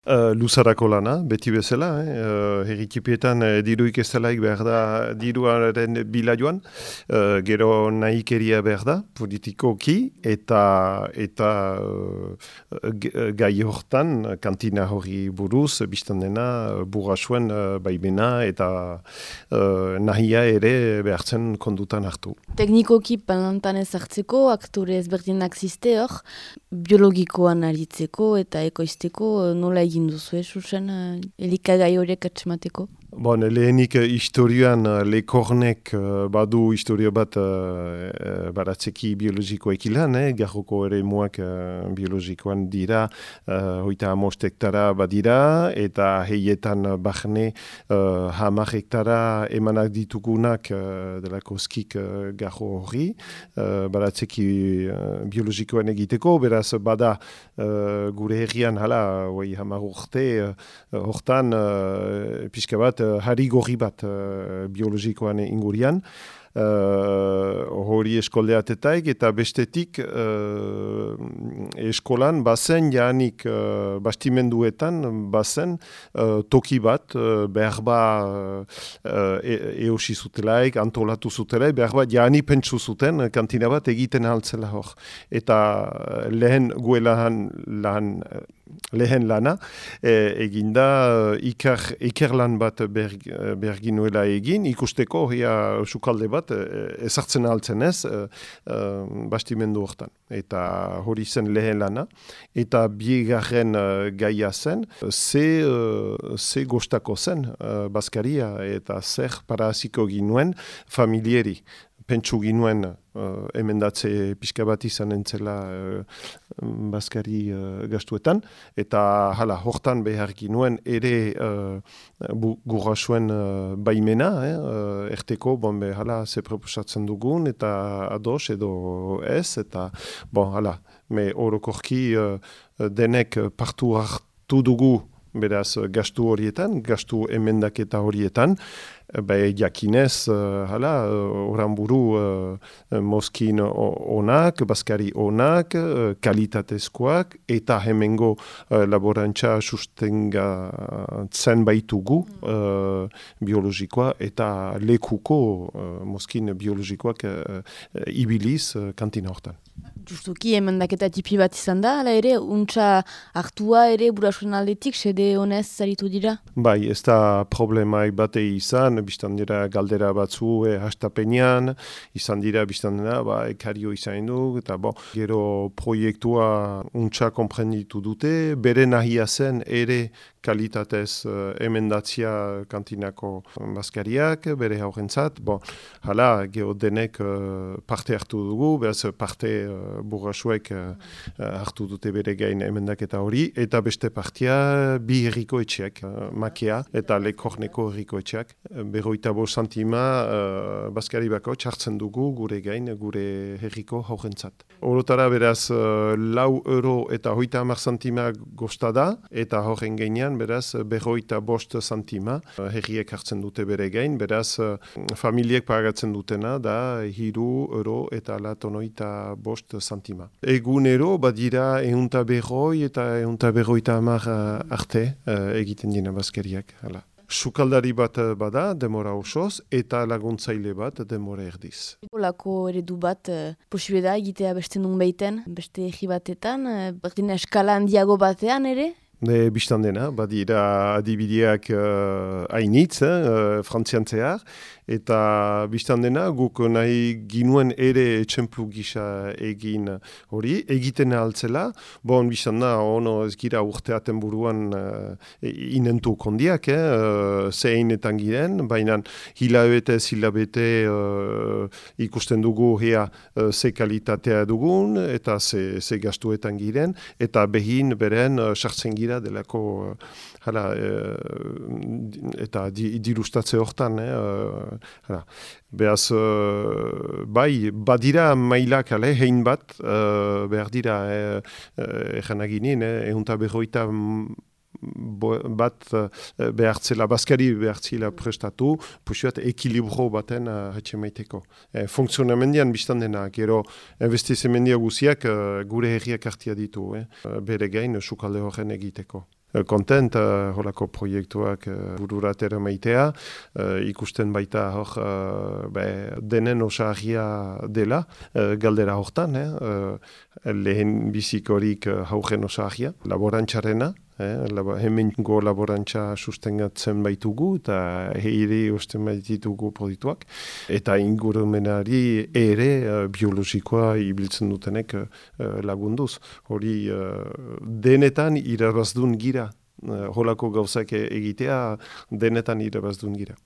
Luzarako lana, beti bezala, herrikipietan diruik ez delaik behar da diruaren bila joan, gero nahikeria behar da, politikoki, eta gai hortan, kantina hori buruz, biztan dena, burrasuen baimena eta nahia ere behartzen kondutan hartu. Teknikoki palantan ezartzeko, aktore ezberdinak ziste hor, biologikoan aritzeko eta ekoizteko nola egin duzu, Susan, elikagai horiek atxemateko? Bon, lehenik historioan Lekornek badu historio bat baratzeki biologikoek ilan, garroko ere muak biologikoan dira, 50 hektara badira, eta heietan bahne 10 hektara emanak ditugunak delako skik garro hori, baratzeki biologikoan egiteko, beraz bada gure herrian hala, 10 urte, hortan pixka bat, harri gorri bat biologikoan ingurian, hori eskoldeatetaik eta bestetik eskolan bazen janik bastimenduetan bazen toki bat behar ba eosi zutelaik, antolatu zutelaik, behar ba jani pentsu zuten kantina bat egiten altzela hor. Eta lehen lehen lana, eginda ikerlan bat berginuela egin, ikusteko sukalde bat ezartzen altzen ez bastimendu hortan. Eta hori zen lehen lana. Eta bigarren gaia zen, ze gostako zen Baskaria eta zer paraziko ginuen familieri. Pentsu ginuen emendatze pixka bat izan entzela Baskari gastuetan, eta hala, hortan behar ginuen ere gurasuen baimena, erteko, hala, ze proposatzen dugun, eta ados edo ez, eta hala, orokorki denek partu hartu dugu, beraz, gastu horietan, gastu emendaketa horietan, jakinez, oran buru mozkin onak, Baskari onak, kalitatezkoak, eta hemengo laborantza sustengatzen baitugu biologikoa, eta lekuko mozkin biologikoak ibiliz kantina hortan. Justuki, emendaketa tipi bat izan da, ala ere, untsa hartua ere burasuen aldetik, sede honez zaritu dira? Bai, ez da problemaik bate izan, biztan dira galdera batzu hastapenean, izan dira biztan dira, ekario izan du, eta gero proiektua untsa komprenditu dute, bere nahia zen ere kalitatez emendatzia kantinako Baskariak, bere haurentzat, hala, gero denek parte hartu dugu, beraz parte burrasuek hartu dute bere gain emendaketa hori, eta beste partia bi herriko etxeak, Makea eta Lekorneko herriko etxeak, 25 santima Baskari bako txartzen dugu gure gain, gure herriko haurentzat. Orotara beraz 4 eta 30 santima gostada, eta horren gainean beraz 25 santima herriek hartzen dute bere gain, beraz familiek pagatzen dutena da 3 eta 25 santima. Egunero badira 150 eta 150 arte egiten dina Baskariak. Hala. Sukaldari bat bada, demora osoz, eta laguntzaile bat demora erdiz. Lako eredu bat posible da egitea beste nun behiten, beste egi batetan, berdin eskala handiago batean ere? Bistan dena, badira adibideak hainitz, frantzian zehar, eta bistan dena guk nahi ginuen ere txemplu gisa egin hori, egiten altzela, bistan da, ez gira urteaten buruan inentu kondiak, zeinetan giren, baina hilabete ikusten dugu ze kalitatea dugun, eta ze gastuetan giren, eta behin beren sartzen gira delako eta dirustatze hortan beaz badira mailak hein bat behar dira eganaginin 150 bat behartzela, Baskari behartzela prestatu, puxuat ekilibro baten hatxemaiteko. Funksionamendian biztan dena, gero investizemendia guziak gure herriak hartia ditu, bere gain sukalde horren egiteko. kontent holako proiektuak bururatera maitea, ikusten baita hor denen osagia dela, galdera hortan, lehen bizikorik haugen osagia, laborantxarena, hemengo laborantza sustengatzen baitugu eta heire osten baititugu proiektuak, eta ingurumenari ere biologikoa ibiltzen dutenek lagunduz. Hori denetan irabaztun gira, holako gauzak egitea denetan irabaztun gira.